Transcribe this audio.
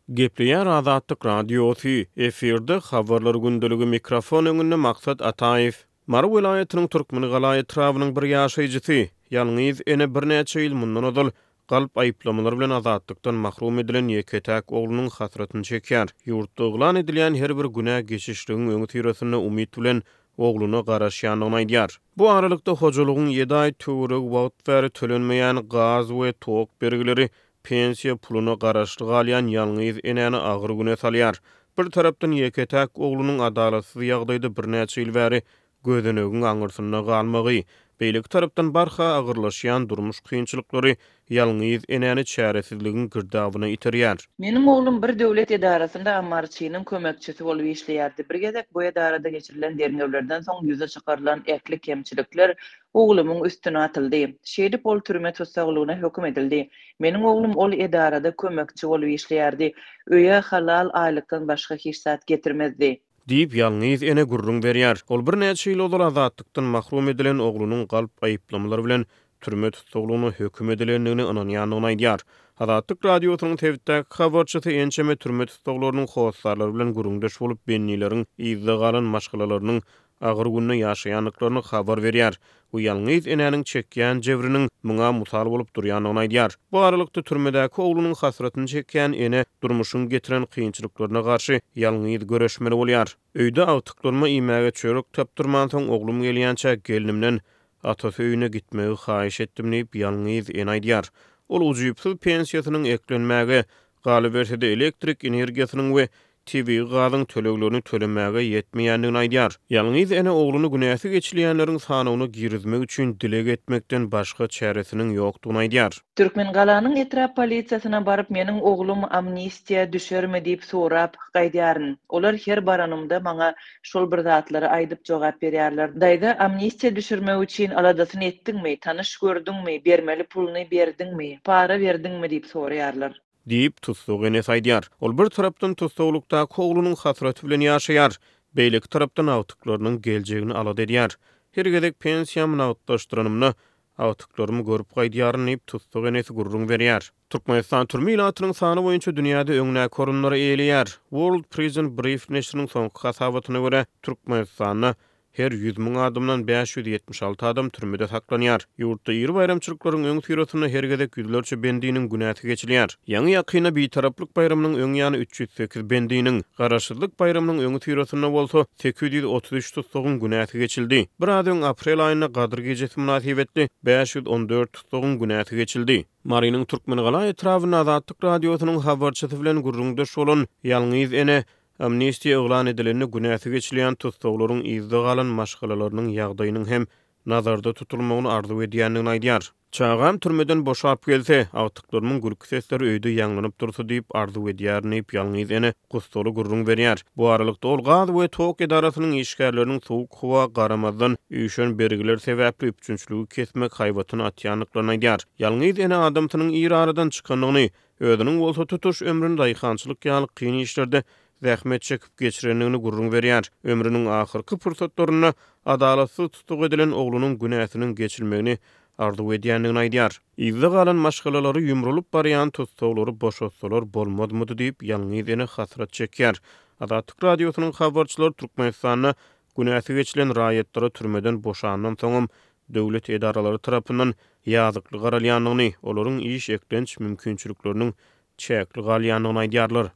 Gepleýär Azatlyk Radiosy, efirde Habarlar gündeligi mikrofon öňünde Maksat Ataýew. Mary welaýatynyň Türkmengala etrabynyň bir ýaşaýjysy, ýalňyz ene birnäçe ýyl mundan ozal galp aýyplamalar bilen azatlykdan mahrum edilen ýeke-täk oglunyň hasratyny çekýär. Ýurtda yglan edilýän her bir günä geçişligiň öňüsyrasynda umyt bilen ogluna garaşýandygyny aýdýar. Bu aralykda hojalygyň ýedi aý töweregi wagt bäri tölenmeýän gaz we tok bergileri pensiýa puluna garaşly galýan ýalňyz enäni agyr güne salýar. Bir tarapdan ýeke-täk oglunyň adalatsyz ýagdaýda birnäçe ýyl bäri gözenegiň aňyrsynda galmagy, beýleki tarapdan barha agyrlaşýan durmuş kynçylyklary ýalňyz enäni çäresizligiň girdabyna iterýär. Meniň oglum bir döwlet edarasynda ammarçynyň kömekçisi bolup işleýärdi. Bir gezek bu edarada geçirilen derňewlerden soň ýüze çykarylan ähli kemçilikler oglumyň üstüne atyldy. Şeýdip ol türme tussaglygyna höküm edildi. Meniň oglum ol edarada kömekçi bolup işleýärdi. Öýe halal aýlykdan başga hiç zat getirmezdi. Diýip, ýalňyz ene gürrüň berýär. Ol birnäçe ýyl ozal azatlykdan mahrum edilen oglunyň galp aýyplamalar bilen türme tussaglygyna höküm edilendigine ynanýandygyny aýdýar. Azatlyk Radiosynyň sebitdäki habarçysy ençeme türme tussaglarynyň hossarlary bilen gürrüňdeş bolup, bendileriň yzda galan maşgalalarynyň agyr günde ýaşaýandyklaryny habar berýär we ýalňyz enäniň çekýän jebriniň muňa mysal bolup durýandygyny aýdýar. Bu aralykda, türmedäki oglunyň hasratyny çekýän ene durmuşyň getiren kynçylyklaryna garşy ýalňyz göreşmeli bolýar. Öýde agtyklaryma iýmäge çörek tapdyrmansoň, oglum gelýänçä gelnimden atasy öýüne gitmegi haýyş etdim diýip, ýalňyz ene aýdýar. Ol ujypsyz pensiýasynyň eklenmäge, galyberse-de elektrik energiýasynyň we tebigy gazyň töleglerini tölemäge ýetmeýändigini aýdýar. Ýalňyz ene ogluny günäsi geçilýänleriň sanawyna girizmek üçin dileg etmekden başga çäresiniň ýokdugyny aýdýar. Türkmengalanyň etrap polisiýasyna baryp meniň oglum amnistiýa düşermi diýip sorap gaýdýaryn. Olar her baranymda maňa şol bir zatlary aýdyp jogap berýärler. Daýza amnistiýa düşürmek üçin aladasyny etdiňmi, tanyş gördüňmi, bermeli puluny berdiňmi, para berdiňmi diýip soraýarlar. Diýip, tussag enesi aýdýar. Ol bir tarapdan tussaglykdaky oglunyň hasraty bilen ýaşaýar, beýleki tarapdan agtyklarynyň geljegini alada edýär. Her gezek pensiýamy nagtlaşdyranymda, agtyklarymy görüp gaýdýaryn diýip, tussag enesi gürrüň berýär. Türkmenistan türme ilatynyň sany boýunça dünýäde öňdäki orunlary eýeleýär. World Prison Brief neşiriniň soňky hasabatyna görä, Türkmenistanda Her 100 000 adamdan 576 adam türmede saklanýar. Ýurtda iri baýramçylyklaryň öňüsyrasynda her gezek ýüzlerçe bendiniň günäsi geçilýär. Ýaňy-ýakynda Bitaraplyk baýramynyň öň ýany 308 bendiniň, Garaşsyzlyk baýramynyň öňüsyrasynda bolsa 833 tussagyň günäsi geçildi. Biraz öň aprel aýynda Gadyr gijesi mynasybetli 514 tussagyň günäsi geçildi. Marynyň Türkmengala etrabynda Azatlyk Radiosynyň habarçysy bilen gürrüňdeş bolan ýalňyz ene Amnistiýa yglan edilende günäsi geçilýän tussaglaryň yzda galan maşgalalarynyň ýagdaýynyň hem nazarda tutulmagyny arzuw edýändigini aýdýar. Çagam türmeden boşap gelse, agtyklarymyň gülki sesleri öýde ýaňlanyp dursa diýip arzuw edýärin diýip, ýalňyz ene gussaly gürrüň berýär. Bu aralykda, ol gaz we tok edarasynyň işgärleriniň sowuk howa garamazdan, üýşen bergiler sebäpli üpjünçiligi kesmek haýbatyny atýandyklaryny aýdýar. Ýalňyz ene adamsynyň ir aradan çykandygyny, Özüniň bolsa tutuş ömrüni daýhançylyk ýaly kyn işlerde zähmet çekip geçirendigini gürrüň berýär. Ömrüniň ahyrky pursatlarynda adalatsyz tutuk edilen oglunyň günäsiniň geçilmegini arzuw edýändigini aýdýar. Yzda galan maşgalalary ýumrulyp barýan tussaglary boşatsalar bolmazmydy diýip, ýalňyz ene hasrat çekýär. Azatlyk Radiosynyň habarçylary Türkmenistanda günäsi geçilen raýatlara türmeden boşandan soňam döwlet edaralary tarapyndan ýazykly garalýandygyny, olaryň iş eklenç mümkinçilikleriniň çäkli galýandygyny aýdýarlar.